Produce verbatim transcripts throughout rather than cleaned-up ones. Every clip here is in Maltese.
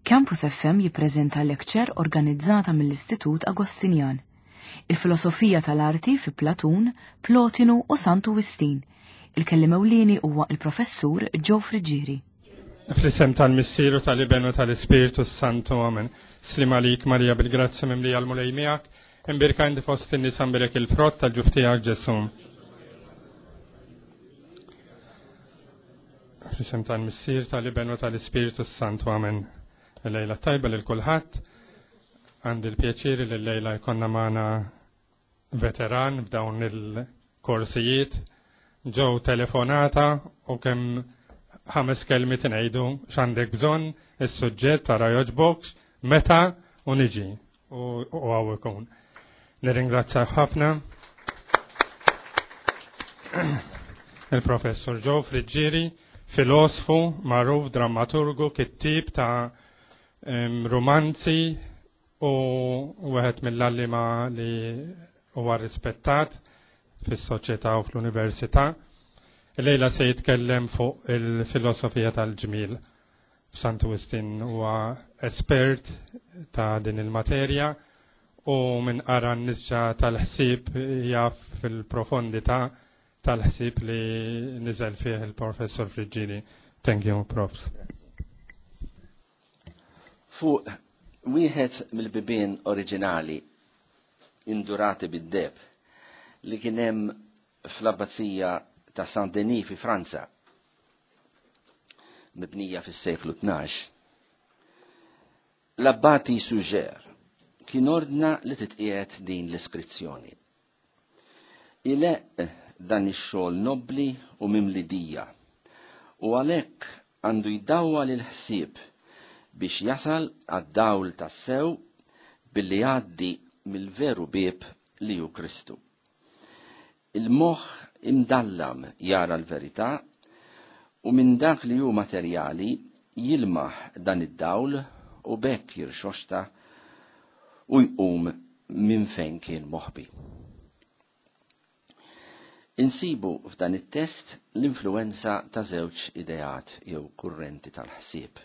Campus F M jippreżenta lecture organizzata mill-Istitut Agostinjan. Il-filosofija tal-arti fi Platun, Plotinu u Santu Wistin. Il-kelliem ewlieni huwa il-professur Joe Friggieri. Fl-isem tal-Missier u tal-Iben u tal-Ispirtu Santu, amen. Slim għalik Marija bil-grazzja mimlija l-Mulej miegħek, imbierka inti fost in-nisa mbierek il-frott tal-ġuf tiegħek Ġesù. Fl-isem tal-Missier, tal-Iben u tal-Ispirtu Santu, amen. Il-lejla tajba lil kulħadd. Għandi l-pjaċir li l-lejla jkollna magħna veteran f'dawn il-korsijiet. Ġew telefonata u kemm ħames kelmiet ngħidu x'għandek bżonn, is-suġġett tara jogħġbokx, meta u niġi u hawn ikun. Nirringrazzja ħafna il-Professur Joe Friggieri, filosfu, magħruf, drammaturgu, kittib ta' romanzi u wieħed mill-għalliema li huwa rispettat fis-soċjetà u fl-università. Illejla se jitkellem fuq il-filosofija tal-ġmiel. Santu Wistin huwa espert ta' din il-materja u minn qara n-nisġa tal-ħsieb jaf fil-profondità tal-ħsieb li niżel fih il-Professor Friggieri. Thank you, Profs. Fuq wieħed mill-bibien oriġinali indurati bid-deb li kien hemm fl-abbazija ta' Saint-Denis fi Franza, mibnija fis-seklu tnax, l-abbati Suger kien ordna li titqiegħed din l-iskrizzjoni. Ileq dan ix-xogħol nobbli u mimlidija u għalhekk għandu jdawwal il-ħsieb biex jasal għad-dawl tas-sew billi jgħaddi mill-veru bieb li hu Kristu. Il-moħħ imdallam jara l-verità u minn dak li hu materjali jilmaħ dan id-dawl u bekk jirxoxta u jqum minn fejn kien moħbi. Insibu f'dan it-test l-influenza ta' żewġ ideat jew kurrenti tal-ħsieb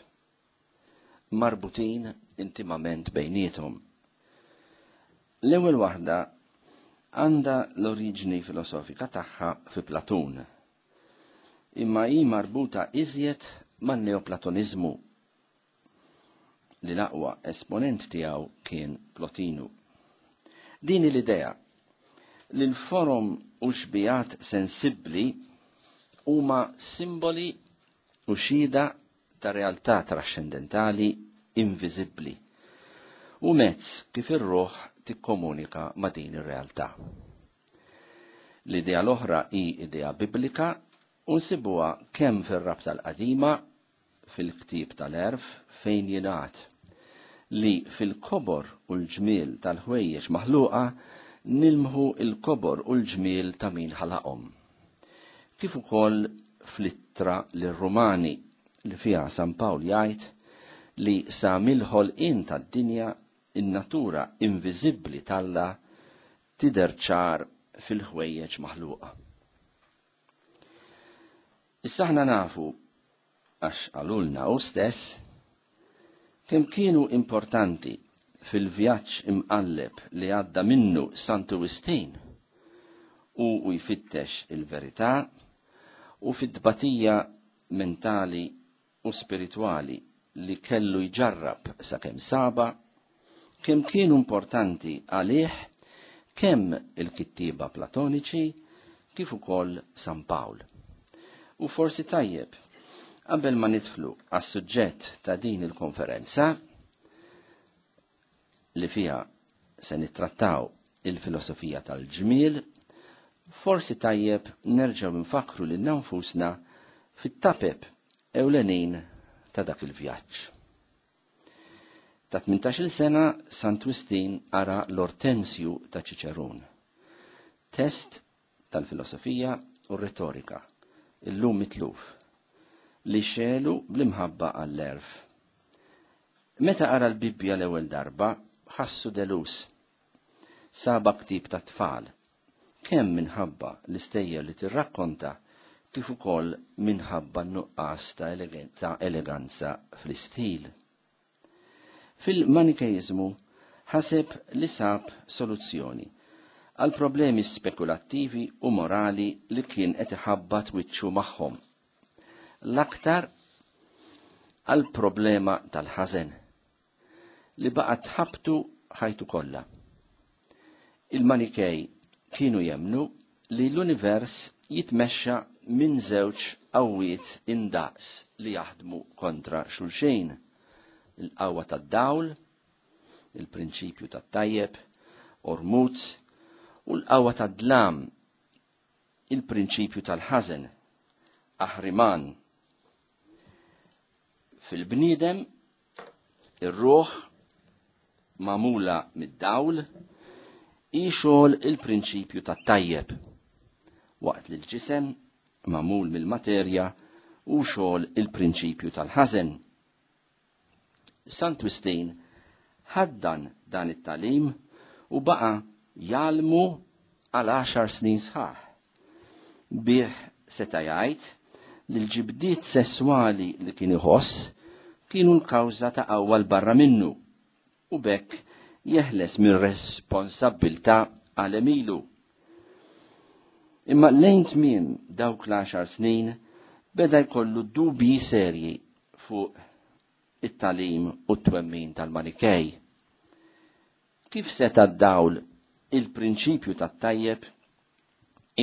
marbutin intimament bejniethom. L-ewwel waħda għandha l-oriġini filosofika tagħha fi Platun, imma hi marbuta iżjed man-neoplatonizmu li l-aqwa esponent tiegħu kien Plotinu. Din l-idea li l-forom u xbijat sensibbli huma simboli u xhieda ta' realtà trascendentali inviżibbli u mezz kif ir-ruħ tikkomunika ma' din ir-realtà. L-idea l-oħra hi idea biblika u nsibuha kemm fir-Rabta l-Qadima fil-ktieb tal-Għerf fejn jingħad li fil-kobor u l-ġmiel tal-ħwejjeġ maħluqa nilmħu l-kobor u l-ġmiel ta' min ħalaqhom. Kif ukoll fl-ittra lir-Rumani li fiha San Pawl jgħid li sa mill-ħolqien tad-dinja in-natura inviżibbli t'Alla tidher ċar fil-ħwejjeġ maħluqa. Issa aħna nafu, għax qalulna hu stess, kemm kienu importanti fil-vjaġġ imqalleb li għadda minnu Santu Wistin u u jfittex il-verità u fit-tbatija mentali u spiritwali li kellu jġarrab sakemm saba, kemm kienu importanti għalih kemm il-kittieba platoniċi kif ukoll San Pawl. U forsi tajjeb, qabel ma nidħlu għas-suġġett ta' din il-konferenza li fiha se nittrattaw il-filosofija tal-ġmiel, forsi tajjeb nerġgħu nfakru lil nfusna fit-tapep ewlenin ta' dak il-vjaġġ. Ta' tmintax-il sena Sant Wistin qara l-Ortensju ta' Ċiċerun, test tal-filosofija u r-retorika, illum mitluf, li xelu bl-imħabba għall-erf. Meta qara l-Bibbja l-ewwel darba, ħassu delus. Saba ktib ta' tfal, kemm minħabba l-istejjer li tirrakkonta kif ukoll minħabba n-nuqqas ta' eleganza fl-istil. Fil-Manikeiżmu ħaseb li sab soluzzjoni għal problemi spekulattivi u morali li kien qed iħabbat wiċċu magħhom. L-aktar għal problema tal-ħażen li baqgħet tħabtu ħajtu kollha. Il-Manikej kienu jemnu li l-univers jitmexxa minn żewġ qawwiet indaqs li jaħdmu kontra xulxejn. Il-qawwa tad-dawl, il-prinċipju tat-tajjeb, Ormuz, u l-qawwa tad-dlam, il-prinċipju tal-ħażen, Ahriman. Fil-bniedem, ir-ruħ magħmula mid-dawl hi xogħol il-prinċipju tat-tajjeb, waqt li l-ġisem magħmul mill-materja u xogħol il-prinċipju tal-ħażen. Sant Wistin ħaddan dan it-talim u baqa' jgħallmu għal għaxar snin sħaħ. Bih seta' jgħid li l-ġibdiet sesswali li kien iħoss kienu l-kawża ta' qawwa l barra minnu u bekk jeħles minn responsabbiltà għal emilu. Imma lejn tmiem dawk l-għaxar snin beda jkollu dubji serji fuq it-talim u t-twemmin tal-Manikej. Kif seta' d-dawl il-prinċipju tat-tajjeb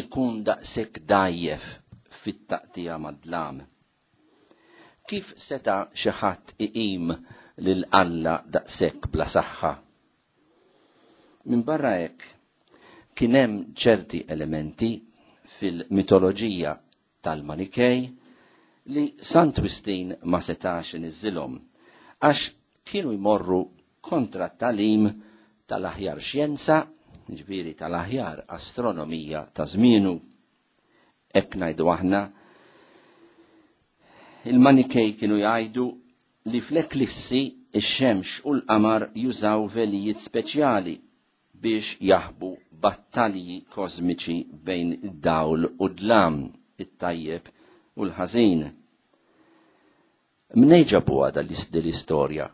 ikun daqshekk dajjef fit-taqtija mad-dlam? Kif seta' xi ħadd iqim lil Alla daqshekk bla saħħa? Minn barra hekk kien hemm ċerti elementi fil-mitoloġija tal-Manikej li Sant Wistin ma setax iniżżilhom għax kienu jmorru kontra t-talim tal-aħjar xjenza, ġifieri tal-aħjar astronomija ta' żmienu. Hekk ngħidu aħna, il-Manikej kienu jgħidu li fl-eklissi ix-xemx u l-qamar jużaw velijiet speċjali biex jaħbu battalji kosmiċi bejn id-dawl u d-dlam, it-tajjeb u l-ħażin. Mnej ġabuha dal-istorja?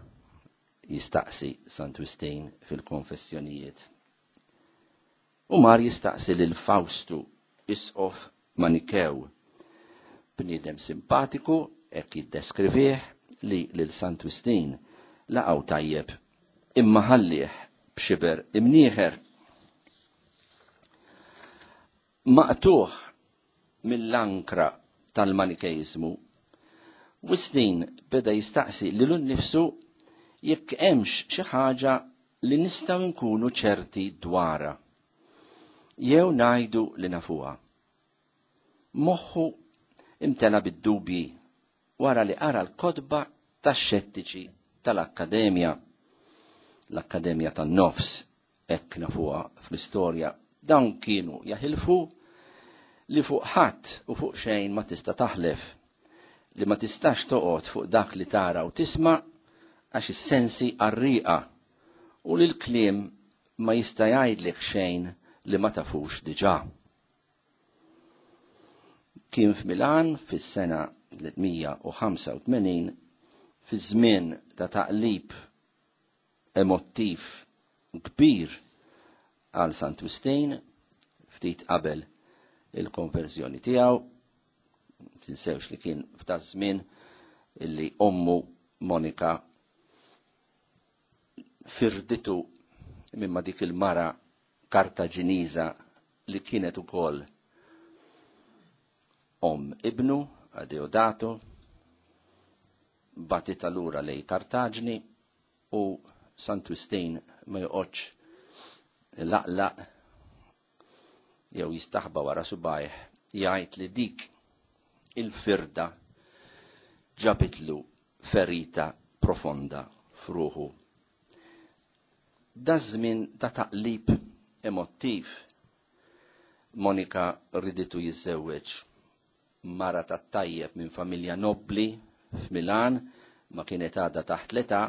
Jistaqsi Sant Wistin fil-konfessjonijiet. U mar jistaqsi lil Fawstu, isqof Manikew, bniedem simpatiku, hekk jiddeskrivih li lil Sant Wistin laqgħu tajjeb, imma ħallih b'xiber imnieħer. Maqtuħ mill-ankra tal-Manikejżmu, Wistin beda jistaqsi lilu nnifsu jekk hemmx xi ħaġa li nistgħu nkunu ċerti dwarha, jew ngħidu li nafuha. Moħħu imtela bid-dubji wara li qara l-kotba tax-xettiċi tal-Akkademja, l-Akkademja tan-Nofs, hekk nafuha fl-istorja. Dawn kienu jaħilfu li fuq ħadd u fuq xejn ma tista' taħlef, li ma tistax toqgħod fuq dak li tara u tisma' għax is-sensi qarrieqa u li l-kliem ma jista' jgħidlek xejn li ma tafux diġà. Kien f'Milan fis-sena tliet mija u ħamsa u tmenin, fi żmien ta' taqlib emottiv kbir għal Sant Wistin, ftit qabel il-konverżjoni tiegħu. Tinsewx li kien f'ta' żmien illi ommu Monika firditu mimma dik il-mara Kartaġiniża li kienet ukoll om ibnu Adeodato, batita lura lej Kartaġni u Sant Wistin ma joqgħodx laqlaq jew jistaħba wara subajh jgħid li dik il-firda ġabitlu ferita profonda f'ruħu. Da żmien ta' taqlib emottiv Monika riditu jiżżewweġ mara ta' tajjeb minn familja nobli f'Milan, ma kienet għadha taħt l-età,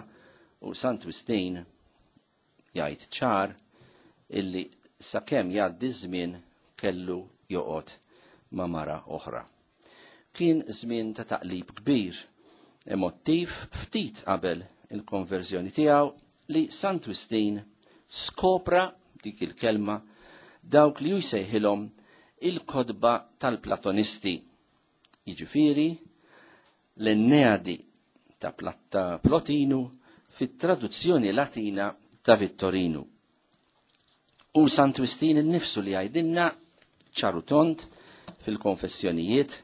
u Sant Wistin jgħid ċar illi sakemm jgħaddi żmien kellu joqgħod ma' mara oħra. Kien żmien ta' taqlib kbir, emottiv ftit qabel il-konverżjoni tiegħu li Sant Wistin skopra dik il-kelma dawk li jsejħilhom il-kodba tal-Platonisti. Jiġifieri l-Enneadi ta' Plotinu fit-traduzzjoni Latina ta' Vittorinu. U Sant Wistin innifsu li jgħidilna ċarutont fil-konfessjonijiet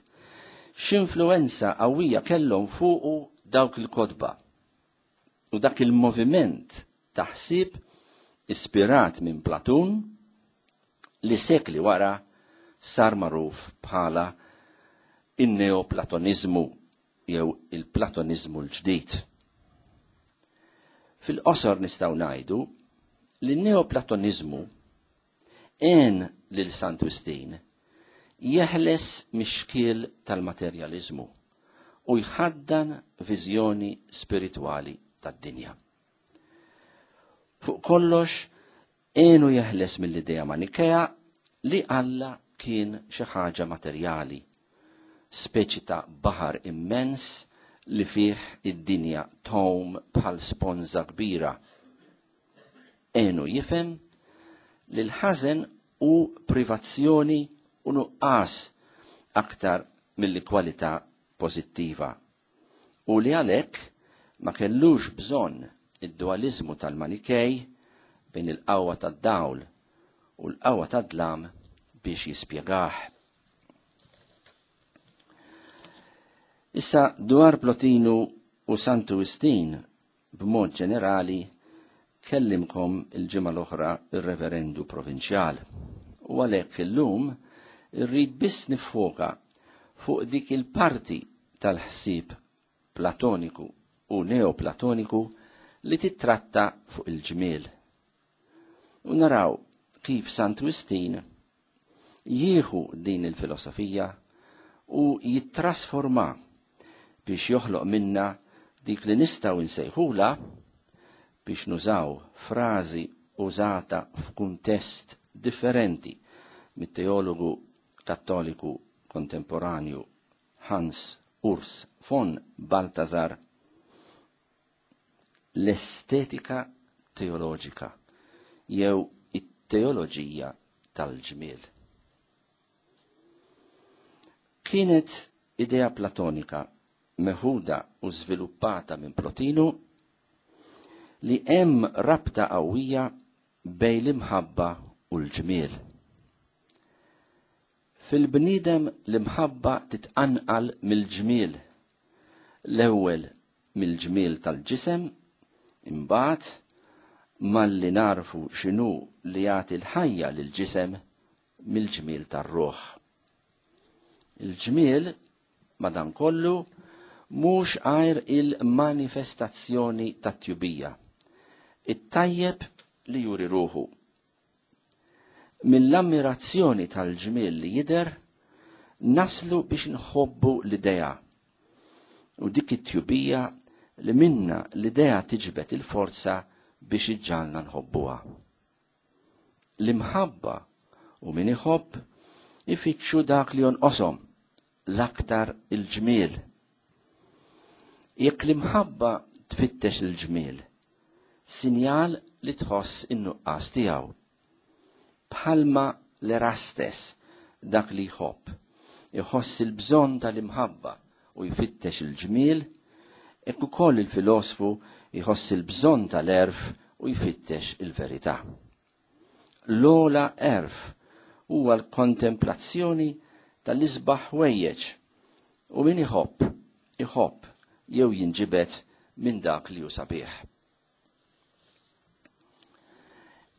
x'influenza qawwija kellhom fuqu dawk il-kodba u dak il-moviment taħsib ispirat minn Platun li sekli wara sar magħruf bħala in-neoplatonizmu jew il-platonizmu l-ġdid. Fil-qosor nistgħu ngħidu li n-neoplatonizmu għen lil Sant Wistin jeħles mix-xkiel tal-materjaliżmu u jħaddan viżjoni spiritwali tad-dinja. Fuq kollox, għenu jeħles mill-idea Manikea li Alla kien xi ħaġa materjali, speċi ta' baħar immens li fih id-dinja tgħum bħal sponża kbira. Għenu jifhem li l-ħażen hu privazzjoni u nuqqas aktar milli kwalità pożittiva u li għalhekk ma kellux bżonn id-dualizmu tal-Manikej bejn il-qawwa tad-dawl u l-qawwa tad-dlam biex jispjegah. Issa dwar Plotinu u Santu Wistin b'mod ġenerali kellimkom il-ġimgħa l-oħra ir-Reverendu Provinċjal. U għalhekk illum irrid biss nifoka fuq dik il-parti tal-ħsieb platoniku u neoplatoniku li titratta fuq il-ġmiel. U naraw kif Sant Wistin jieħu din il-filosofija u jittrasforma biex joħloq minna dik li nistgħu nsejħula biex nużaw frażi użata f'kuntest differenti mit-teologu kattoliku kontemporanju Hans Urs von Balthasar, l-estetika teoloġika jew it-teoloġija tal-ġmiel. Kienet idea platonika meħuda u żviluppata minn Plotinu li hemm rabta qawwija bejn l-imħabba u l-ġmiel. Fil-bniedem l-imħabba titqanqal mill-ġmiel. L-ewwel mill-ġmiel tal-ġisem, imbagħad malli narfu x'inhu li jagħti l-ħajja lill-ġisem mill-ġmiel tar-ruħ. Il-ġmiel madankollu mhux għajr il-manifestazzjoni tat-tjubija, it-tajjeb li juri ruħu. Mill-ammirazzjoni tal-ġmiel li jidher naslu biex nħobbu l-idea u dik it-tjubija li minna l-idea tiġbed il-forza biex iġġalna nħobbuha. L-imħabba u min iħobb ifittxu dak li jonqoshom l-aktar il-ġmiel. Jekk l-imħabba tfittex il-ġmiel, sinjal li tħoss in-nuqqas tiegħu. Bħalma l-Erastes dak li jħobb, iħoss il-bżonn tal-imħabba u jfittex il-ġmiel, hekk ukoll il-filosfu jħoss il-bżonn tal-għerf u jfittex il-verità. L-ogħla għerf huwa l-kontemplazzjoni tal-isbaħ ħwejjeġ u min iħobb, iħobb jew jinġibed minn dak li hu sabiħ.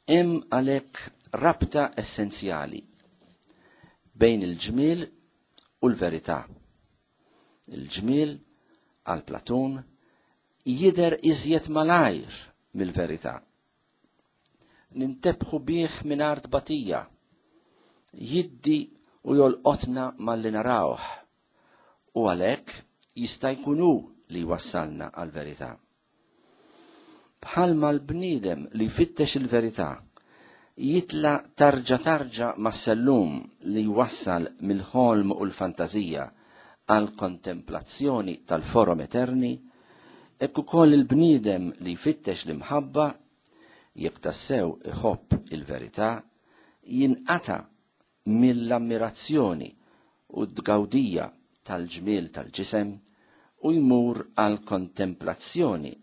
Hemm għalhekk rabta essenzjali bejn il-ġmiel u l-verità. Il-ġmiel għal Platun jidher iżjed malajr mill-verità. Nintebħu bih mingħajr tbatija, jiddi u jolqotna malli narawh, u għalhekk jista' jkun hu li jwassalna għall-verità. Bħalma l-bniedem li jfittex il-verità jitla tarġa tarġa mas-sellum li jwassal mill-ħolm u l-fantażija għal kontemplazzjoni tal-forom eterni, Hekk ukoll il-bniedem li jfittex l-imħabba, jekk tassew iħobb il-verità, jinqata mill-ammirazzjoni u d-gawdija tal-ġmiel tal-ġisem u jmur għal kontemplazzjoni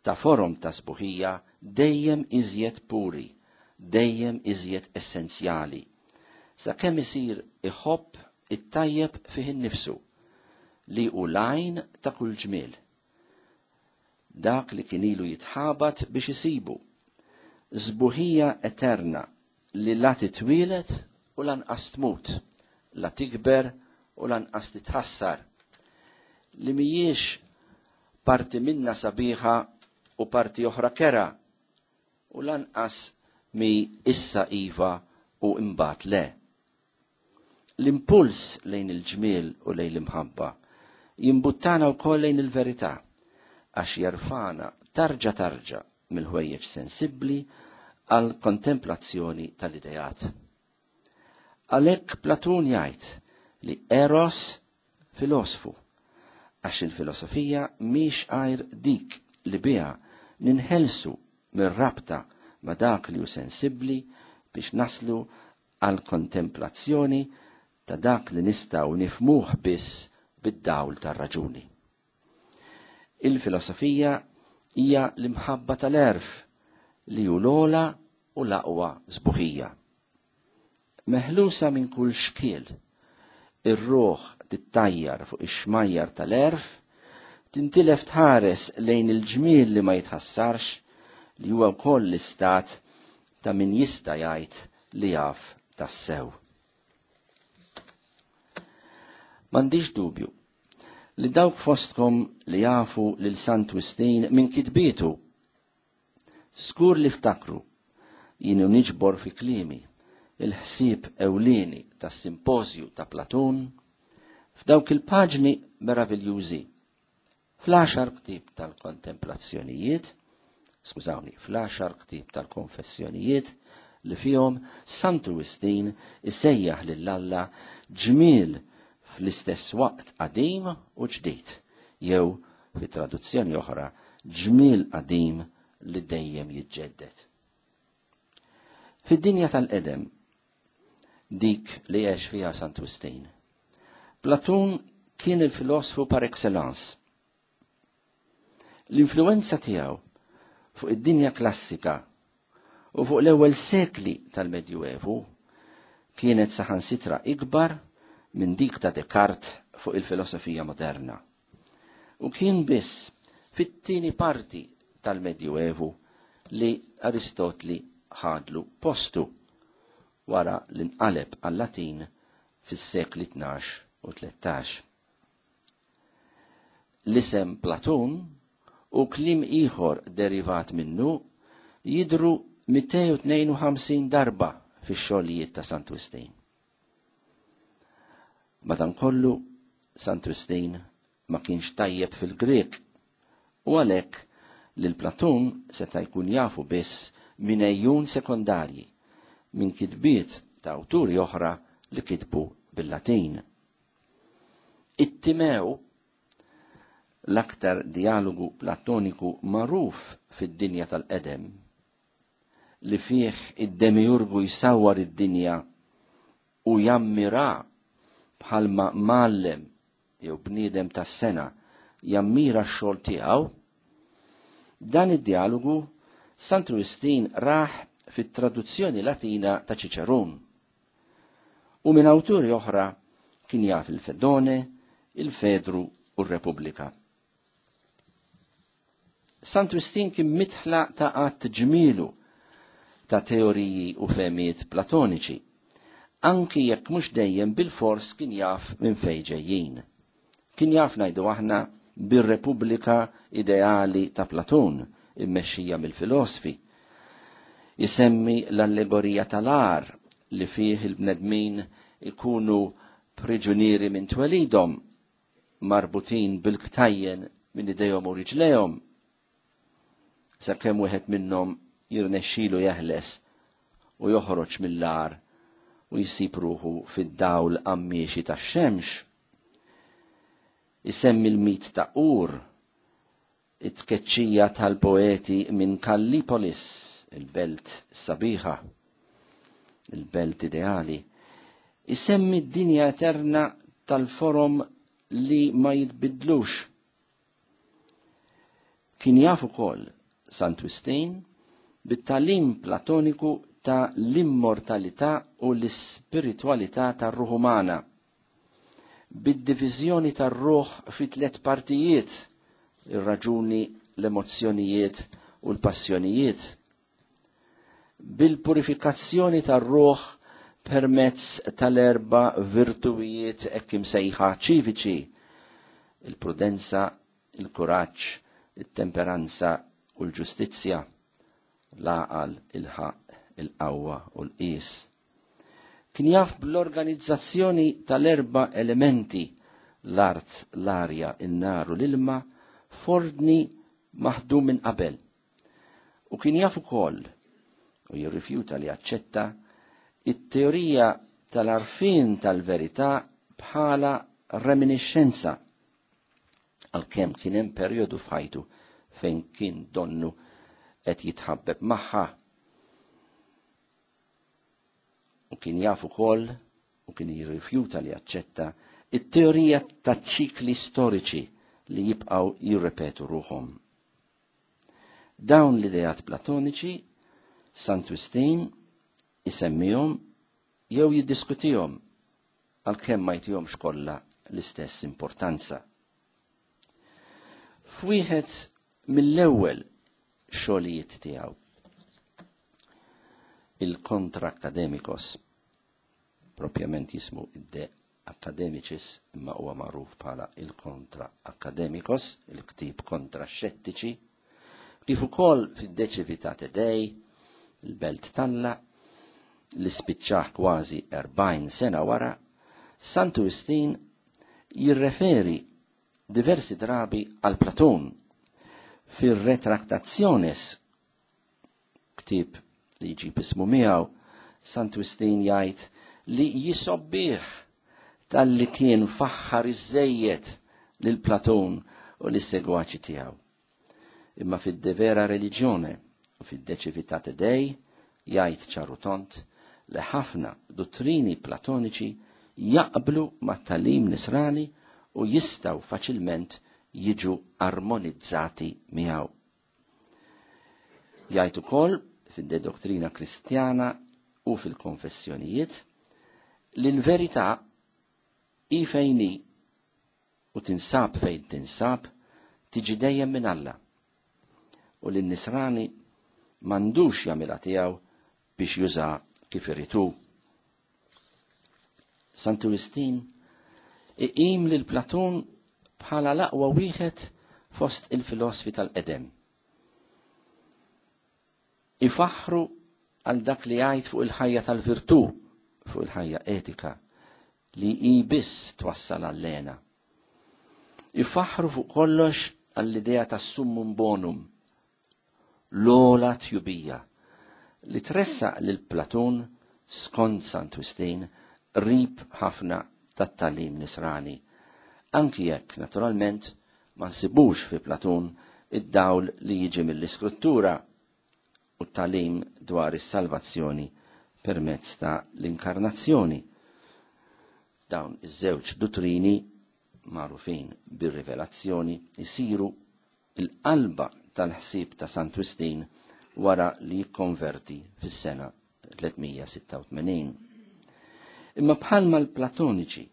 ta' forom ta' sbuħija dejjem iżjed puri, dejjem iżjed essenzjali, sakemm isir iħobb it-tajjeb fih innifsu li hu l-għajn ta' kull ġmiel. Dak li kien ilu jitħabat biex isibu, sbuħija eterna li la titwielet u lanqas tmut, la tikber u lanqas titħassar, li mhijiex parti minna sabiħa u parti oħra kera, u lanqas mi issa iva u imbagħad le. L-impuls lejn il-ġmiel u lejn l-imħabba jimbuttana wkoll lejn il-verità, għax jerfana tarġa tarġa mill-ħwejjeġ sensibbli għal kontemplazzjoni tal-idejat. Għalhekk Platun jgħid li Eros filosfu, għax il-filosofija mhix għajr dik li biha ninħelsu mir-rabta ma' dak li hu sensibbli biex naslu għal kontemplazzjoni ta' dak li nistgħu nifmuh biss bid-dawl tar-raġuni. Il-filosofija hija l-imħabba tal-għerf li hu l-ogħla u l-aqwa sbuħija. Meħlusa minn kull xkiel, ir-ruħ tittajjar fuq ix-xmajjar tal-għerf, tintilef tħares lejn il-ġmiel li ma jitħassarx, li huwa wkoll l-istat ta' min jista' jgħid li jaf tassew. M'għandix dubju li dawk fostkom li jafu lil Sant Wistin minn kitbietu, skur li ftakru jienu niġbor fi kliemi il-ħsieb ewlieni tas-simpożju ta' Platun f'dawk il-paġni meraviljużi fl-għaxar ktieb tal-kontemplazzjonijiet, skużawni, fl-għaxar ktieb tal-konfessjonijiet li fihom Santu Wistin isejjaħ lil Alla ġmiel fl-istess waqt qadim u ġdid, jew fi traduzzjoni oħra ġmiel qadim li dejjem jiġġedded. Fid-dinja tal-qedem, dik li għex fiha Sant Wistin, Platun kien il-filosfu par excellence. L-influenza tiegħu fuq id-dinja klassika u fuq l-ewwel sekli tal-Medjuevu kienet saħansitra ikbar minn dik ta' Descartes fuq il-filosofija moderna. U kien biss fit-tieni parti tal-Medjuevu li Aristotli ħadlu postu wara l-inqaleb għal-Latin fis-sekli tnax u tlettax. L-isem Platun u kliem ieħor derivat minnu jidru mitejn u tnejn u ħamsin darba fix-xogħlijiet ta' Sant Wistin. Madankollu, Sant Wistin ma kienx tajjeb fil-Grek u għalhekk lil Platun seta' jkun jafu biss minn ejjun sekondarji, minn kitbiet ta' awturi oħra li kitbu bil-Latin. It-Timew, l-aktar dialogu platoniku magħruf fid-dinja tal-qedem, li fih id-demiurgu jsawwar id-dinja u jammira bħalma mgħallem jew bniedem tas-sena jammira x-xogħol tiegħu, dan id-dialogu Sant Wistin raħ fit-traduzzjoni Latina ta' Ċiċerun. U minn awturi oħra kien jaf il-Fedone, il-Fedru u r-Repubblika. Sant Wistin kien mitħla ta' għadd ġmielu ta' teoriji u fehmiet platoniċi, anki jekk mhux dejjem bil-fors kien jaf minn fejn ġejjin. Kien jaf ngħidu aħna bir-Repubblika ideali ta' Platun, immexxija mill-filosfi. Isemmi l-allegorija tal-għar li fih il-bnedmin ikunu priġunieri minn twelidhom, marbutin bil-ktajjen minn idejhom u riġlejhom, sakemm wieħed minnhom jirnexxilu jeħles u joħroġ mill-għar u jsib ruħu fid-dawl qammiexi tax-xemx. Isemmi l-mit ta' Ur it-tkeċċija tal-poeti minn Kallipolis, il-belt sabiħa, il-belt ideali. Isemmi d-dinja eterna tal-forom li ma jitbidlux. Kien jaf ukoll Sant Wistin bit-talim platoniku ta' l-immortalità u l-ispiritualità tar-ruħ umana, bid-diviżjoni tar-ruħ fi tliet partijiet: ir-raġuni, l-emozzjonijiet u l-passjonijiet, bil-purifikazzjoni tar-ruħ permezz tal-erba virtuwijiet hekk imsejħa ċiviċi: il-prudenza, il-kuraġġ, it-temperanza u l-ġustizzja, l-għaqal, il-ħaqq, il-qawwa u l-qis. Kien jaf bl-organizzazzjoni tal-erba elementi, l-art, l-arja, in-nar u l-ilma, f'ordni maħdum minn qabel. U kien jaf ukoll, u jirrifjuta li jaċċetta, it-teorija tal-arfin tal-verità bħala reminiscenza, għalkemm kien hemm perjodu f'ħajtu fejn kien donnu qed jitħabbeb magħha. U kien jaf ukoll, u kien jirrifjuta li jaċċetta, it-teorija ta' ċikli storiċi li jibqgħu jirrepetu ruħhom. Dawn l-ideat platoniċi Sant Wistin isemmihom jew jiddiskutihom, għalkemm ma jtihomx kollha l-istess importanza. F'wieħed mill-ewwel xogħlijiet tiegħu, il-Kontra Akademikos, propjament jismu id-De Academicis, imma huwa magħruf bħala il-Kontra Akademikos, il-ktib kontra xettiċi, kif ukoll fid-De Civitate Dei, il-Belt Talla, li spiċċaħ kważi erbgħin sena wara, Santu Wistin jirreferi diversi drabi għal Platun fir-Retractationes, ktib li jġib ismu miegħu. Sant Wistin jgħid li jisobbih tal-li kien faħħar iżejjed lil Platun u lis-segwaċi tiegħu. Imma fid-De Vera Religione u fid-De Civitate Dei jgħid ċaru tont li ħafna dottrini platoniċi jaqblu mat-talim nisrani u jistaw faċilment jiġu armonizzati miegħu. Jgħid ukoll fid-De Dottrina Kristjana u fil-konfessjonijiet li l-verità hi fejn hi u tinsab fejn tinsab tiġi dejjem minn Alla, u li n-nisrani m'għandux jagħmilha tiegħu biex juża kif irid hu. Santu Wistin iqim lil Platun bħala l-aqwa wieħed fost il-filosfi tal-qedem. Ifaħru għal dak li jgħid fuq il-ħajja tal-virtù, fuq il-ħajja etika, li hi biss twassal għall-lena. Ifaħru fuq kollox għall-idea tas-summum bonum, l-ola tjubija, li tressaq lil Platun skont Sant Wistin rib ħafna tat-talim nisrani, anki jekk naturalment ma nsibux fi Platun id-dawl li jiġi mill-iskrittura u t-talim dwar is-salvazzjoni permezz ta' l-inkarnazzjoni. Dawn iż-żewġ dottrini magħrufin bir-rivelazzjoni jisiru il-qalba tal-ħsieb ta' Sant Wistin wara li jikkonverti fis-sena tliet mija sitta u tmenin. Imma bħalma l-Platoniċi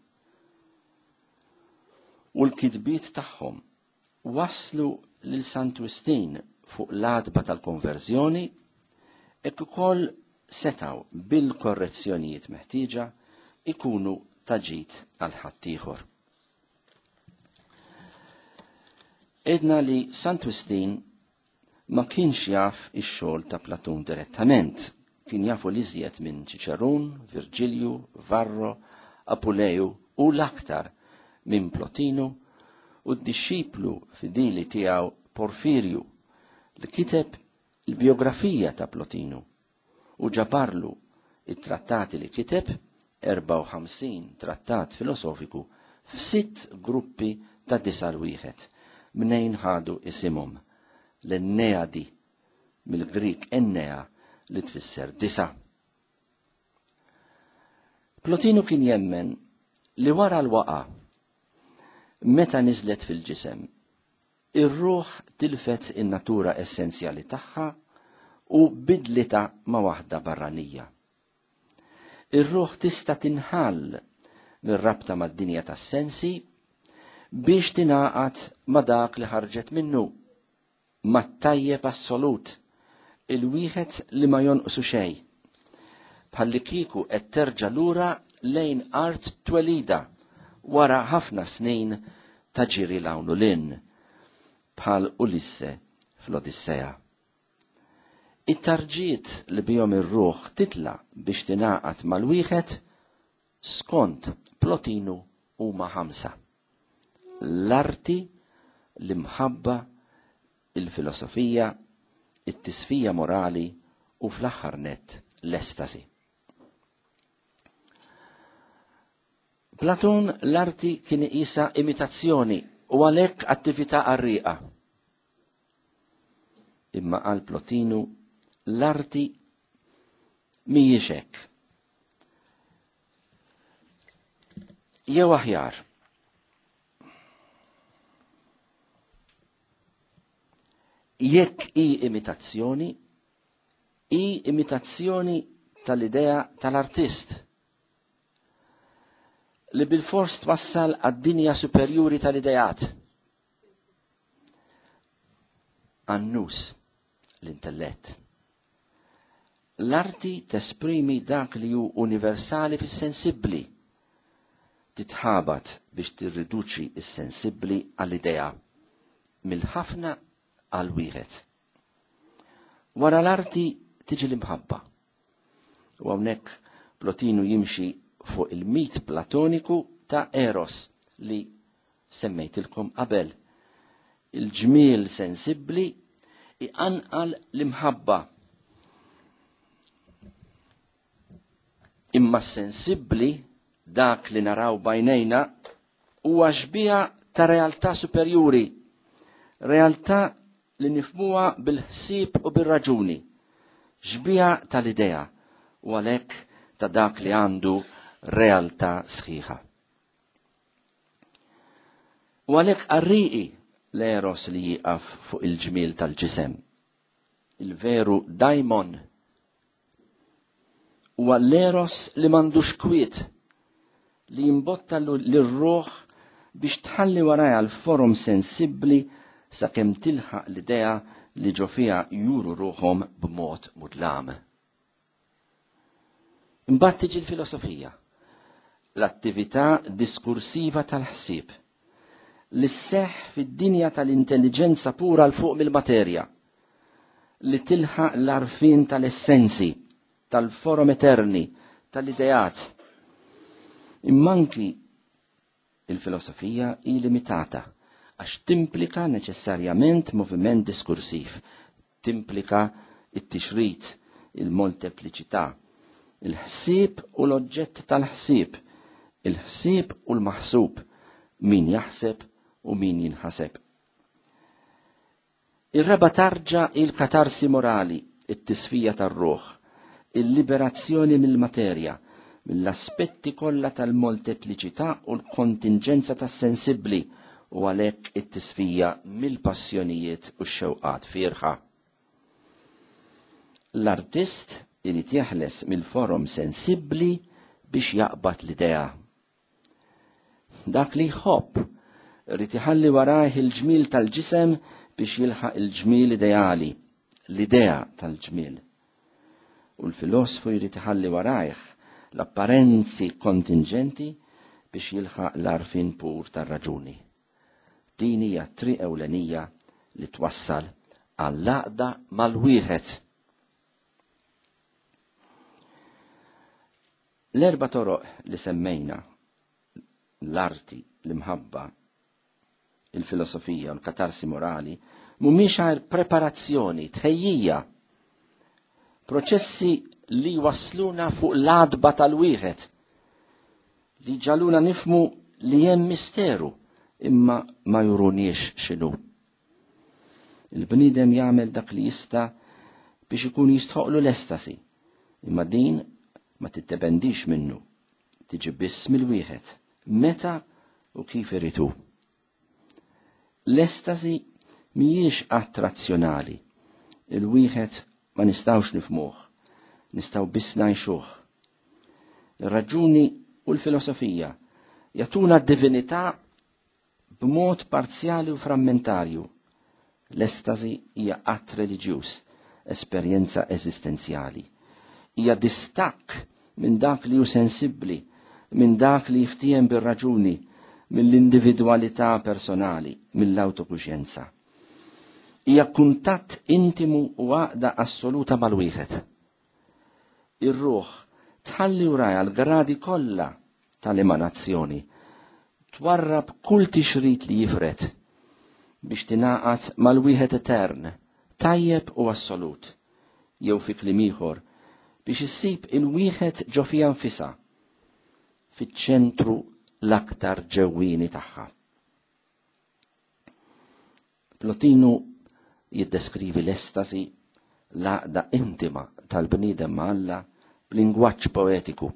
u l-kitbiet tagħhom waslu lil Sant Wistin fuq l-għatba tal-konverżjoni, hekk ukoll setaw bil-korrezzjonijiet meħtieġa ikunu taġit għal ħaddieħor. Edna li Sant Wistin ma kienx jaf ix-xogħol ta' Platun direttament, kien jafu li iżjed minn Ċiċerun, Virgilju, Varro, Apuleju u l-aktar minn Plotinu u d-disċiplu fidili tiegħu Porfirju, li kiteb il-biografija ta' Plotinu u ġabarlu it-trattati li kiteb, erbgħa u ħamsin trattat filosofiku f'sitt gruppi ta' disa' l wieħed mnejn ħadu isimhom, l-Enneadi, mill-Grik Ennea li tfisser disa. Plotinu kien jemmen li wara l-waqa, meta niżlet fil-ġisem, ir-ruħ tilfet in-natura essenzjali tagħha u bidlita ma' waħda barranija. Ir-ruħ tista' tinħall mir-rabta mad-dinja tas-sensi biex tingħaqad ma' dak li ħarġet minnu, mat-tajjeb assolut, il-wieħed li ma jonqsu xejn. Bħalli kieku qed terġa' lura lejn art twelida wara ħafna snin ta' ġiri 'l hawn u 'l hinn, bħal Ulisse fl-Odissea. It-tarġiet li bihom ir-ruħ titla' biex tingħaqad mal-wieħed skont Plotinu huma ħamsa. L-arti, l-imħabba, il-filosofija, it-tisfija morali u fl-aħħar nett l-estasi. Platun l-arti kien iqisha imitazzjoni u għalhekk attività qarrieqa. Imma għal Plotinu l-arti mhijiex hekk. Jew aħjar, jekk hi imitazzjoni, hi imitazzjoni tal-idea tal-artist li bil-fors twassal għad-dinja superjuri tal-ideat. Għan-nus, l-intellett. L-arti tesprimi dak li hu universali fis-sensibbli. Titħabat biex tirriduċi s-sensibbli għall-idea, mill-ħafna għal wieħed. Wara l-arti tiġi l-imħabba. U hawnhekk Plotinu jimxi fuq il-mit platoniku ta' Eros li semmejtilkom qabel. Il-ġmiel sensibbli iqanqal l-imħabba. Imma sensibbli, dak li naraw bajnejna, huwa xbieha ta' realtà superjuri, realtà li nifmuha bil-ħsieb u bil-raġuni, xbieha tal-idea u għalhekk ta' dak li għandu realtà sħiħa. U għalhekk qarrieqi l-eros li jieqaf fuq il-ġmiel tal-ġisem. Il-veru daimon huwa l-eros li m'għandux kwiet, li jimbotta lir-ruħ biex tħalli warajha l-forum sensibbli sakemm tilħaq l-idea li ġo fiha juru ruħhom b'mod mudlam. Imbagħad tiġi l-filosofija, l-attività diskursiva tal-ħsieb, li sseħħ fid-dinja tal-intelligenza pura 'l fuq mill-materja, li tilħaq l-arfin tal-essenzi, tal-forum eterni, tal-ideat. Imma anki il-filosofija hi limitata għax timplika neċessarjament moviment diskursiv, timplika it-tixrid, il-moltepliċità, il-ħsieb u l-oġġett tal-ħsieb, il-ħsieb u l-maħsub, min jaħseb u min jinħaseb. Ir-raba tarġa il-katarsi morali, it-tisfija tar-ruħ, il-liberazzjoni mill-materja, mill-aspetti kollha tal-moltepliċità u l-kontingenza tas-sensibbli, u għalhekk it-tisfija mill-passjonijiet u x-xewqat fierħa. L-artist irid jeħles mill-forum sensibbli biex jaqbad l-idea. Dak li jħobb irid iħalli warajh il-ġmiel tal-ġisem biex jilħaq il-ġmiel ideali, l-idea tal-ġmiel. U l-filosfu jrid iħalli warajh l-apparenzi kontingenti biex jilħaq l-arfin pur tar-raġuni. Din hija triq ewlenija li twassal għall-għaqda mal-wieħed. L-erba' toroq li semmejna, l-arti, l-imħabba, il-filosofija u l-katarsi morali, mhumiex għajr preparazzjoni, tħejjija, proċessi li wasluna fuq l-adba tal-wieħed, li ġaluna nifmu li hemm misteru, imma ma juruniex x'inhu. Il-bniedem jagħmel dak li jista' biex ikun jistħoqlu l-estasi, imma din ma tiddependix minnu, tiġi biss mill-wieħed, meta u kif iritu. L-estasi mhijiex attrazzjonali, il-wieħed ma nistgħux nifhmuh, nistgħu biss ngħixuh. Ir-raġuni u l-filosofija jagħtuna d-divinità b'mod parzjali u frammentarju. L-estasi hija att reliġjuż, esperjenza eżistenzjali. Hija distakk minn dak li hu sensibbli, minn dak li jiftiem bir-raġuni, mill-individwalità personali, mill-awtokuxjenza. Hija kuntatt intimu u għaqda assoluta mal-wieħed. Ir-ruħ tħalli wrajha l-gradi kollha tal-emanazzjoni, twarrab kull tixrid li jifred biex tingħaqad mal-wieħed etern, tajjeb u assolut, jew fi kliem ieħor biex issib il-wieħed ġo fiha nfisha, fiċ-ċentru l-aktar ġewwieni tagħha. Plotinu jiddeskrivi l-estasi, l-għaqda intima tal-bniedem ma' Alla b'lingwaġġ poetiku.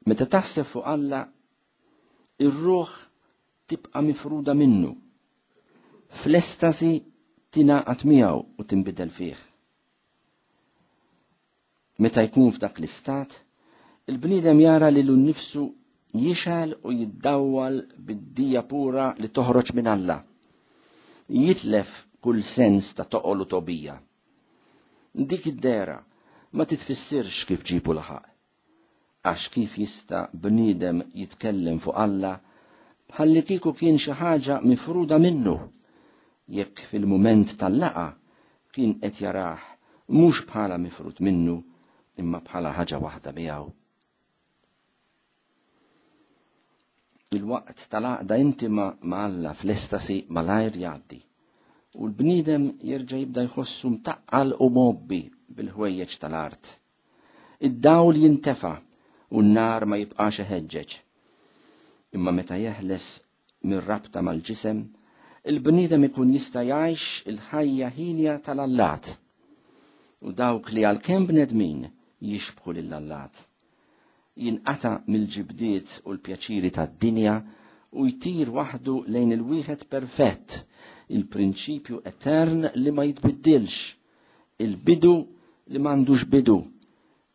Meta taħseb fuq Alla, ir-ruħ tibqa' mifruda minnu. Fl-estasi tingħaqad miegħu u tinbidel fih. Meta jkun f'dak l-istat, il-bniedem jara lilu nnifsu jixgħel u jiddawwal bid-dija pura li toħroġ minn Alla. Jitlef kull sens ta' toqol u tobija. Dik id-dera ma titfissirx kif ġibu laħaq. Għax kif jista' bniedem jitkellem fuq Alla bħalli kieku kien xi ħaġa mifruda minnu, jekk fil-mument tal-laqa kien qed jarah mhux bħala mifrud minnu imma bħala ħaġa waħda miegħu. Il-waqt tal-għaqda intima ma' Alla fl-estasi malajr jgħaddi u l-bniedem jerġa' jibda jħossu mtaqqal u mobbi bil-ħwejjeġ tal-art. Id-dawl jintefa' u n-nar ma jibqax iħeġġeġ. Imma meta jeħles mir-rabta mal-ġisem, il-bniedem ikun jista' jgħix il-ħajja ħinja tal-allat u dawk li għalkemm bnedmin jixbħu lill-allat. Jinqata' mill-ġibdiet u l-pjaċiri tad-dinja u jtir waħdu lejn il-wieħed perfett, il-prinċipju etern li ma jitbiddilx, il-bidu li m'għandux bidu,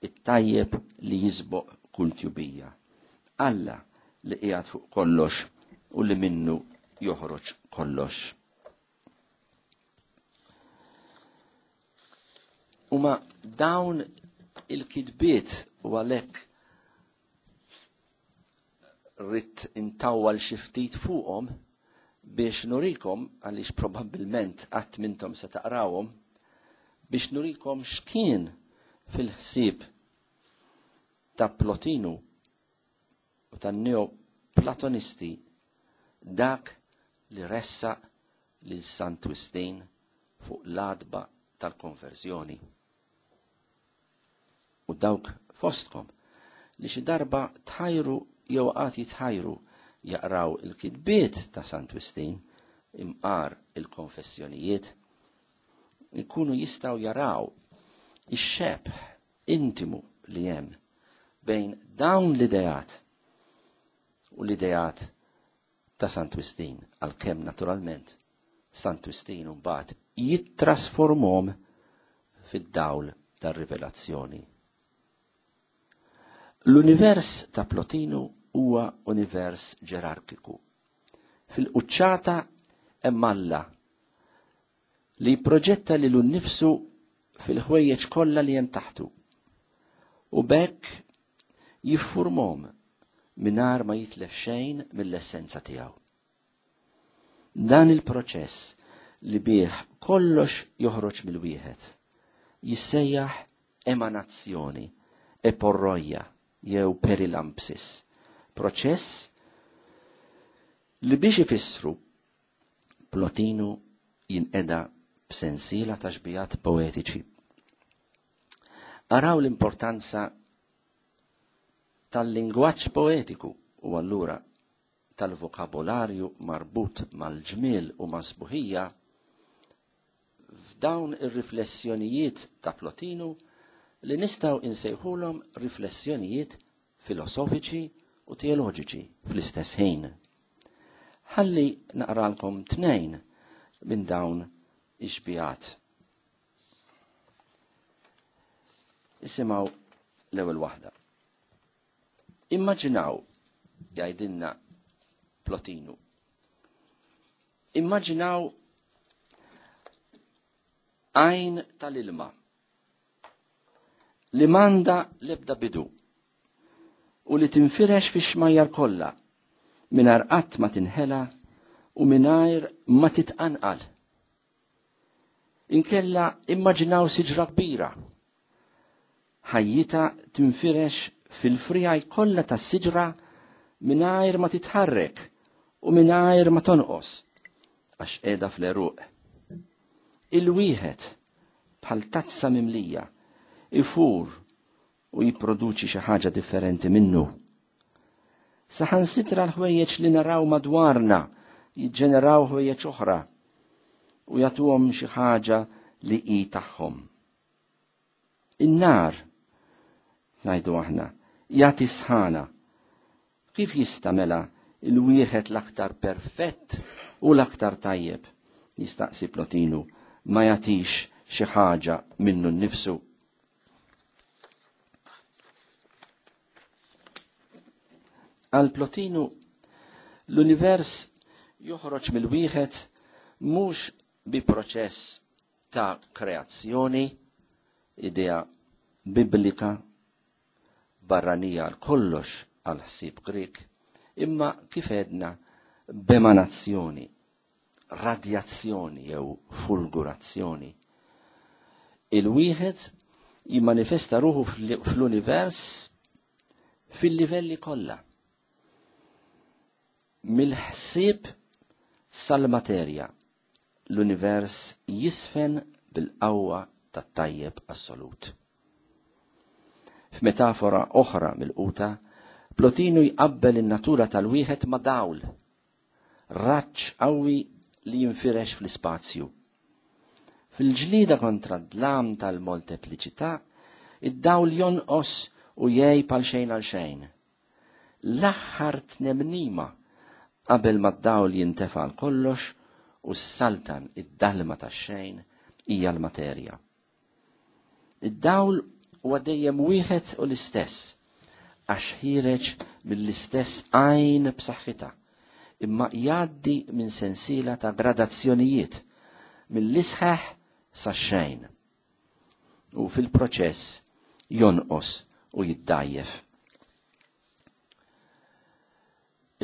it-tajjeb li jisboq kull tjubija. Alla li qiegħed fuq kollox u li minnu joħroġ kollox. Huma dawn il-kitbiet u għalhekk rrid intawwal xi ftit fuqhom biex nurikom, għaliex probabbilment qatt mintom se taqrawhom, biex nurikom x'kien fil-ħsieb ta' Plotinu u tan-Neoplatonisti dak li ressaq lil Sant Wistin fuq l-adba tal-konverzjoni. U dawk fostkom li xi darba tħajru jew qatt jitħajru jaqraw il-kitbiet ta' Sant Wistin imqar il-konfessjonijiet, ikunu jistgħu jaraw ix-xebh intimu li hemm bejn dawn l-ideat u l-ideat ta' Sant Wistin, għalkemm naturalment Sant Wistin mbagħad jittrasformhom fid-dawl tar-rivelazzjoni. L-univers ta' Plotinu huwa univers ġerarkiku. Fil-quċċata hemm Alla li jipproġetta lilu nnifsu fil-ħwejjeġ kollha li hemm taħtu u b'hekk jiffurmhom mingħajr ma jitlef xejn mill-essenza tiegħu. Dan il-proċess li bih kollox joħroġ mill-wieħed jissejjaħ emanazzjoni, eporroja jew perilampsis, proċess li biex ifissru Plotinu jinqeda b'sensiela ta' xbijat poetiċi. Araw l-importanza tal-lingwaġġ poetiku u allura tal-vokabolarju marbut mal-ġmiel u mas-sbuħija f'dawn ir-riflessjonijiet ta' Plotinu li nistgħu insejħulhom riflessjonijiet filosofiċi u teoloġiċi fl-istess ħin. Ħalli naqralkom tnejn minn dawn ix-xbihat. Isimgħu l-ewwel waħda. Immaġinaw, jgħidilna Plotinu, immaġinaw għajn tal-ilma li manda lebda bidu u li tinfirex fi xmajjar kollha mingħajr qatt ma tinħela u mingħajr ma titqanqal. Inkella immaġinaw siġra kbira. Ħajjita tinfirex fil-frijaj kollha tas-siġra mingħajr ma titħarrek u mingħajr ma tonqos għax qiegħda fl-eruq. Il-wieħed bħal tazza mimlija ifur u jipproduċi xi ħaġa differenti minnu. Saħansitra l-ħwejjeġ li naraw madwarna jiġġeneraw ħwejjeġ oħra u jagħtuhom xi ħaġa li hi tagħhom. In-nar, ngħidu aħna, jagħti sħana. Kif jista' mela il-wieħed l-aktar perfett u l-aktar tajjeb, jistaqsi Plotinu, ma jagħtix xi ħaġa minnu nnifsu? Għal Plotinu, l-univers joħroġ mill-wieħed mhux bi proċess ta' kreazzjoni, idea biblika barranija għal kollox għal ħsieb Grek, imma kif għedna b'emanazzjoni, radjazzjoni jew fulgurazzjoni. Il-wieħed jimmanifesta ruħu fl-univers fil-livelli kollha. Mill-ħsieb sal-materja, l-univers jisfen bil-qawwa tat-tajjeb assolut. F'metafora oħra mill-quta, Plotinu jqabbel in-natura tal-wieħed ma' dawl, raġġ qawwi li jinfirex fl-ispazju. Fil-ġlida kontra d-dlam tal-moltepliċità, id-dawl jonqos u jgħib għal xejn għal xejn. L-aħħar tnemnima qabel ma d-dawl jintefa' għal kollox u s-saltan id-dalma tax-xejn hija l-materja. Id-dawl huwa dejjem wieħed u l-istess, għax ħireġ mill-istess għajn b'saħħitha, imma jgħaddi minn sensiela ta' gradazzjonijiet, mill-isħaħ sax-xejn. U fil-proċess jonqos u jiddajjef.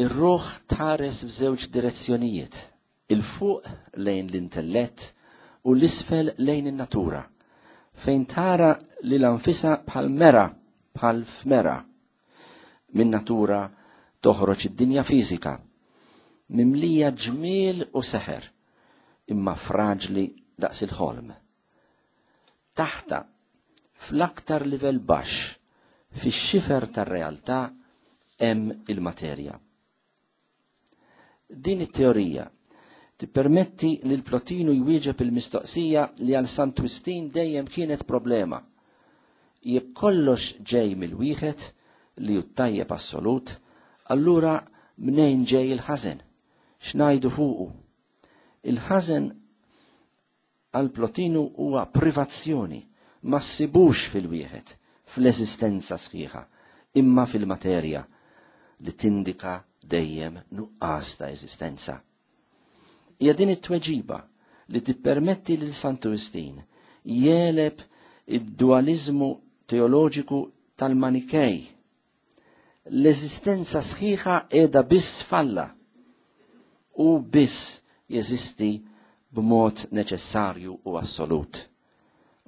Ir-ruħ tħares f'żewġ direzzjonijiet, il-fuq lejn l-intellett u l-isfel lejn in-natura, fejn tara li l-anfisa bħal mera, bħal fmera. Min natura toħroġ id-dinja fiżika, mimlija ġmiel u seħer, imma fraġli daqs il-ħolm. Taħta, fl-aktar livell baxx, fix-xifer tar-realtà, hemm il-materja. Din it-teorija tippermetti li l-Plotinu jwieġeb il-mistoqsija li għal Sant Wistin dejjem kienet problema. Jekk kollox ġej mill-wieħed li hu tajjeb assolut, allura mnejn ġej il-ħażen? X'ngħidu fuqu? Il-ħażen għal Plotinu huwa privazzjoni, ma ssibux fil-wieħed, fl-eżistenza sħiħa, imma fil-materja li tindika dejjem nuqqas ta' eżistenza. Hija din it-tweġiba li tippermetti lil Santu Wistin jeleb id-dualizmu teoloġiku tal-Manikej. L-eżistenza sħiħa qiegħda biss falla u biss jeżisti b'mod neċessarju u assolut.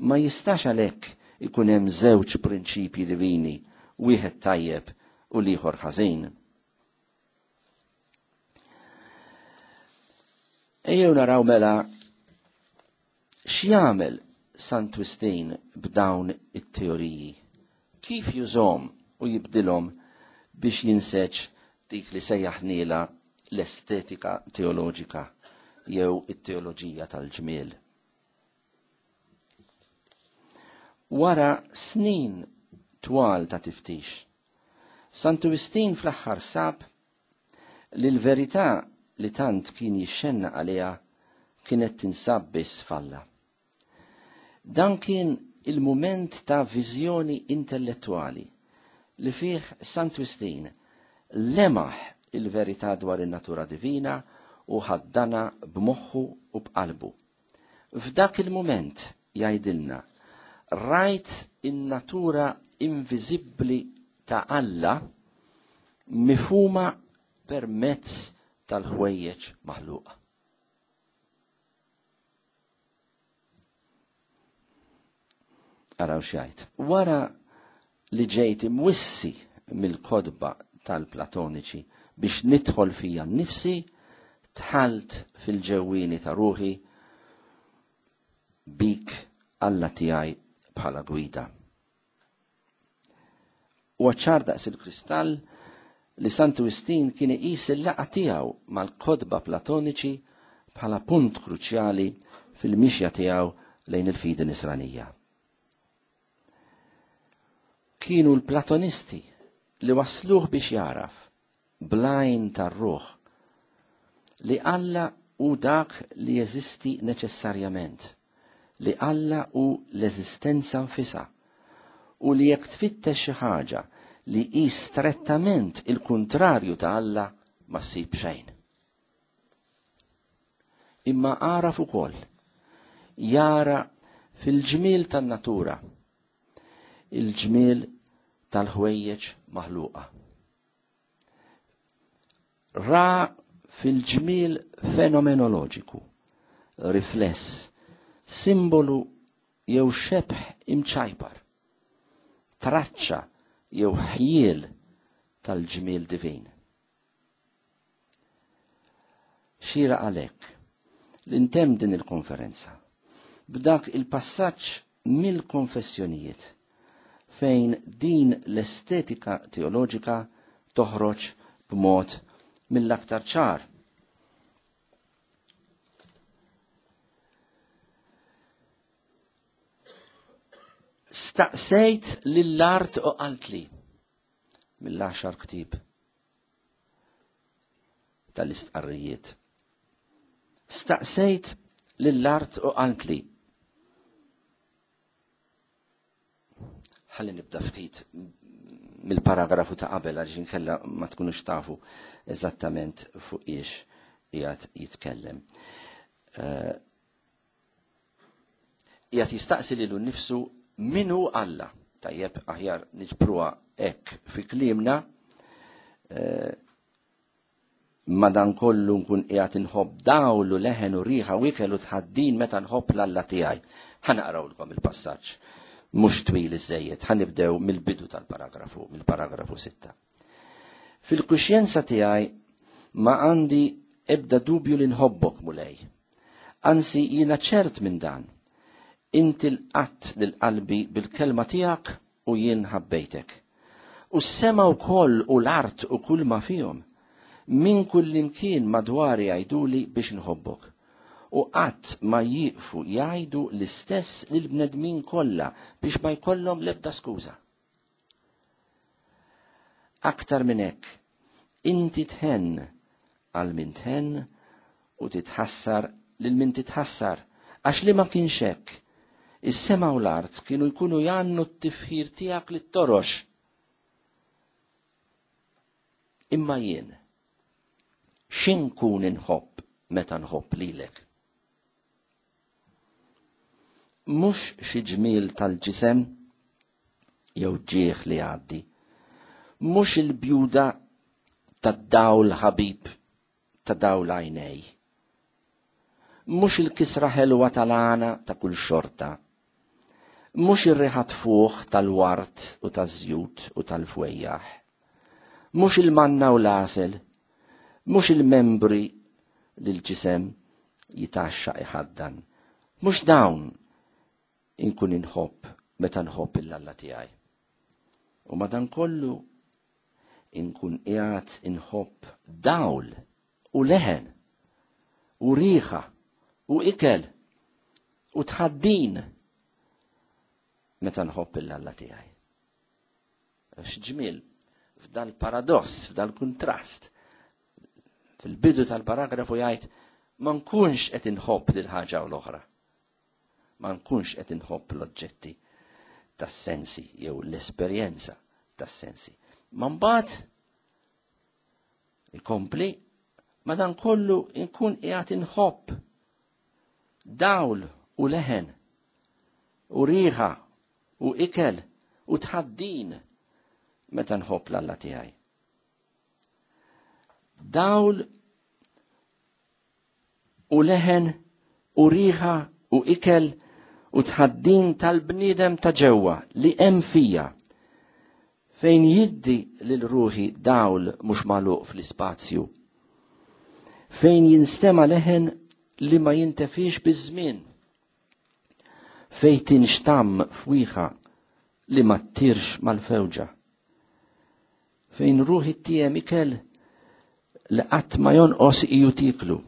Ma jistax għalhekk ikun hemm żewġ prinċipji divini, wieħed tajjeb u l-ieħor ħażin. Ejjew naraw mela x'jagħmel Sant Wistin b'dawn it-teoriji. Kif jużhom u jibdilhom biex jinseġ dik li sejjaħnila l-estetika teoloġika jew it-teoloġija tal-ġmiel. Wara snin twal ta' tiftix, Santu Wistin fl-aħħar sab li l-verità li tant kien jixxenna għaliha kienet tinsab biss f'Alla. Dan kien il-mument ta' viżjoni intellettuali li fih Santu Wistin lemaħ il-verità dwar in-natura divina u ħaddana b'moħħu u b'qalbu. F'dak il-mument jgħidilna, rajt in-natura inviżibbli ta' Alla mifhuma permezz tal-ħwejjeġ maħluqa. Araw x'jgħid. Wara li ġejt imwissi mill-kodba tal-Platoniċi biex nidħol fija nnifsi, tħalt fil-ġewwieni ta' ruħi bik Alla tiegħi bħala gwida. U ċar daqs il-kristall li Santu Wistin kien iqis il-laqgħa tiegħu mal-kodba Platoniċi bħala punt kruċjali fil-mixja tiegħu lejn il-fidi nisranija. Kienu l-Platonisti li wasluh biex jaraf blajn tar-ruħ li Alla hu dak li jeżisti neċessarjament, li Alla hu l-eżistenza nfisha, u li jekk tfittex xi ħaġa li hi strettament il-kuntrarju ta' Alla ma ssib xejn. Imma għaraf ukoll jara fil-ġmiel tan-natura il-ġmiel tal-ħwejjeġ maħluqa. Ra fil-ġmiel fenomenoloġiku, rifless, simbolu jew xebħ imċajpar, traċċa jew ħjiel tal-ġmiel divin. Xira għalhekk li ntemm din il-konferenza b'dak il-passaġġ mill-konfessjonijiet fejn din l-estetika teoloġika toħroġ b'mod mill-aktar ċar. Staqsejt lill-art u qaltli mill-għaxar ktieb tal-istqarrijiet. Staqsejt lill-art u qaltli. Ħalli nibda ftit mill-paragrafu ta' qabel għaliex inkella ma tkunux tafu eżattament fuq iex qiegħed jitkellem. Qiegħed jistaqsi lilu nnifsu min hu Alla. Tajjeb aħjar niġbruha hekk fi kliemna, madankollu nkun qiegħed inħobb dawl u leħen u riħa u ikel u tħaddin meta nħobb l-Alla tiegħi. Ħa naqrawlkom il-passaġġ mhux twil iżejjed, ħa nibdew mill-bidu tal-paragrafu, mill-paragrafu sitta. Fil-kuxjenza tiegħi ma għandi ebda dubju li nħobbok, Mulej. Anzi jiena ċert minn dan. Inti l-qatt lil qalbi bil-kelma tiegħek u jien ħabbejtek. U s-sema wkoll u l-art u kull ma fihom, minn kull imkien madwari jgħiduli biex nħobbok. U qatt ma jieqfu jgħidu l-istess lill-bnedmin kollha biex ma jkollhom l-ebda skuża. Aktar minn hekk, inti tħenn għal min tħenn u titħassar lil min titħassar, għax li ma kienx hekk, is-sema u l-art kienu jkunu jgħannu t-tifħir tiegħek lit-torox. Imma jien, x'inkun inħobb meta nħobb lilek? Mhux xi ġmiel tal-ġisem jew ġieħ li għaddi, mhux il-bjuda tad-dawl ħabib ta' dawl għajnej, mhux il-kisra ħelwa tal-għana ta' kull xorta, mhux ir-riħa tfuħ tal-wart u taż-żjut u tal-fwejjaħ, mhux il-manna u l-għasel, mhux il-membri li l-ġisem jitaxxa iħaddan, mhux dawn inkun inħobb meta nħobb il-Alla tiegħi. U madankollu inkun qiegħed inħobb dawl u leħen u riħa u ikel u tħaddin meta nħobb il-Alla tiegħi. X'ġmiel f'dal-paradoss, f'dal-kuntrast. Fil-bidu tal-paragrafu jgħid ma nkunx qed inħobb lil ħaġa u l-oħra. Ma nkunx qed inħobb l-oġġetti tas-sensi jew l-esperjenza tas-sensi. Ma mbagħad ikompli ma dan kollu nkun qiegħed inħobb dawl u leħen u riħa u ikel u tħaddin meta nħobb l-Alla tiegħi. Dawl u leħen u riħa u ikel u tħaddin tal-bniedem ta' ġewwa li hemm fija, fejn jiddi lil ruħi dawl mhux magħluq fl-ispazju, fejn jinstema' leħen li ma jintefix biż-żmien, fejn tinxtamm fwieħa li ma ttirx mal-fewġa, fejn ruħi tiem ikel li qatt ma jonqos iju tiklu,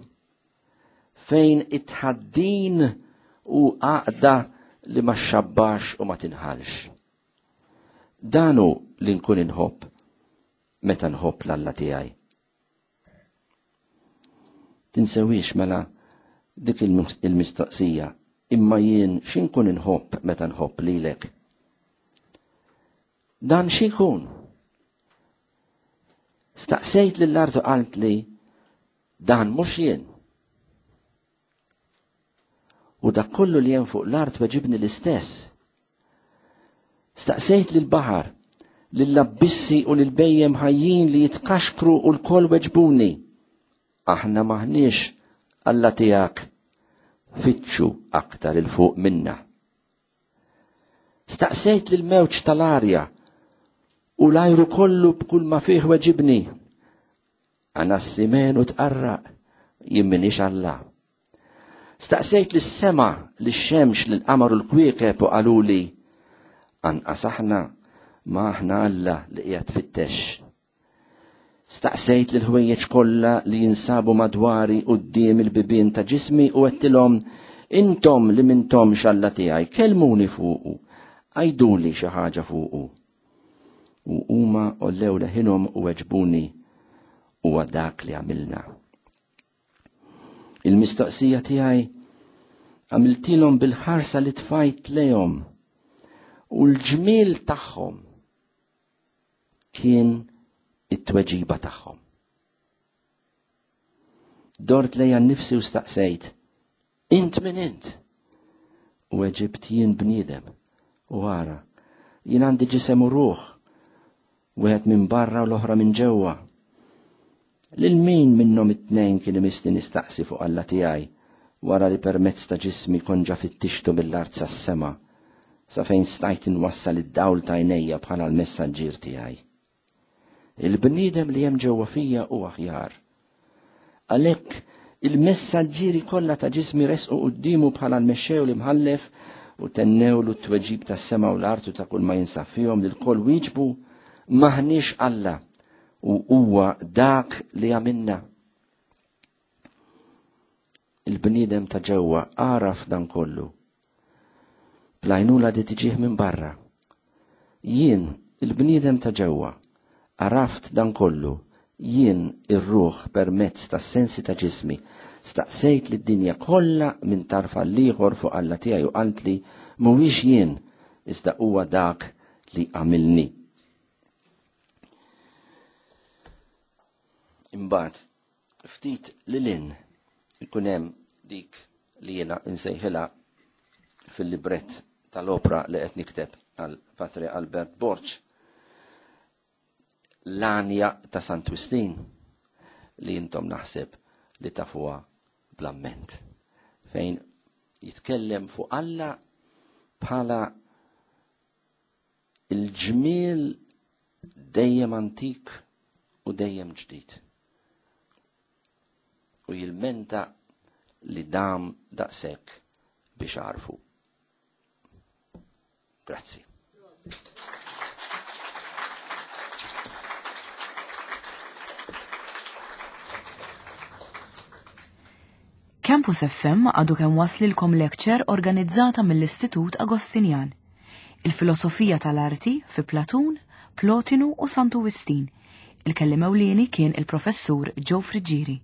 fejn it-tħaddin u għaqda li ma xabbax u ma tinħalx. Danu li nkun inħobb meta nħobb l-Alla tiegħi. Tinsewix mela dik il-mistoqsija, imma jien x'inkun inħobb meta nħobb lilek? Dan x'ikun? Staqsejt lill-art u qalt li dan mhux jien. U dak kollu li hemm fuq l-art weġibni l-istess. Staqsejt lill-baħar, lill-abbissi u lill-bejjem ħajjin li jitkaxkru u l-koll weġbuni. Aħna maħniex Alla tiegħek, fittxu aktar il fuq minna. Staqsejt lill-mewġ tal-arja u l-ajru kollu b'kull ma fih weġibni. Anassimen u tqarraq, jien m'iniex Alla. Staqsejt lis-sema, lix-xemx, lill-qamar u l-kwiekeb u qaluli anqas aħna ma aħna Alla li qiegħed tfittex. Staqsejt lill-ħwejjeġ kollha li jinsabu madwari quddiem il-bibien ta' ġismi u għedtilhom intom li mintomx Alla tiegħi, kellmuni fuqu, għajduli xi ħaġa fuqu. U huma għollew leħinhom u weġbuni huwa dak li għamilna. Il-mistoqsija tiegħi għamiltilhom bil-ħarsa li tfajt lejhom u l-ġmiel tagħhom kien it-tweġiba tagħhom. Dort lejja nnifsi u staqsejt, int min int? U weġibt jien bniedem, u ara, jien għandi ġisem u ruħ, wieħed minn barra u l-oħra minn ġewwa. Lil min minnhom it-tnejn kien imissni nistaqsi fuq Alla tiegħi wara li permezz ta' ġismi konġa fittixtu mill-art sas-sema, sa fejn stajt inwassal id-dawl ta' għajnejja bħala l-messaġġier tiegħi. Il-bniedem li hemm ġewwa fija hu aħjar. Għalhekk il-messaġġieri kollha ta' ġismi resqu quddiemu bħala l-mexxew l-imħallef u tennewlu t-tweġib tas-sema u l-art u ta' kull ma jinsab fihom li l-koll wieġbu maħniex Alla u huwa dak li għamilna. Il-bniedem ta' ġewwa għaraf dan kollu. Blajnula di tiġih minn barra. Jien, il-bniedem ta' ġewwa, għaraft dan kollu, jien ir-ruħ permezz tas-sensi ta' ġismi, staqsejt lid-dinja kollha minn tarf għall-ieħor fuq Alla tiegħi u qaltli mhuwiex jien, iżda huwa dak li għamilni. Imbagħad ftit lilin ikun hemm dik li jiena nsejħilha fil-librett tal-opra li qed nikteb għal Patri Albert Borg, l-għanja ta' Sant Wistin li intom naħseb li tafuha bl-amment, fejn jitkellem fuq Alla bħala il-ġmiel dejjem antik u dejjem ġdid. U jilmenta li dam daqshekk biex għarfu. Grazzi. Campus F M għadu kemm waslilkom lecture organizzata mill-Istitut Agostinjan. Il-filosofija tal-arti fi Platun, Plotinu u Santu Wistin. Il-kelliem ewlieni kien il-professur Joe Friggieri.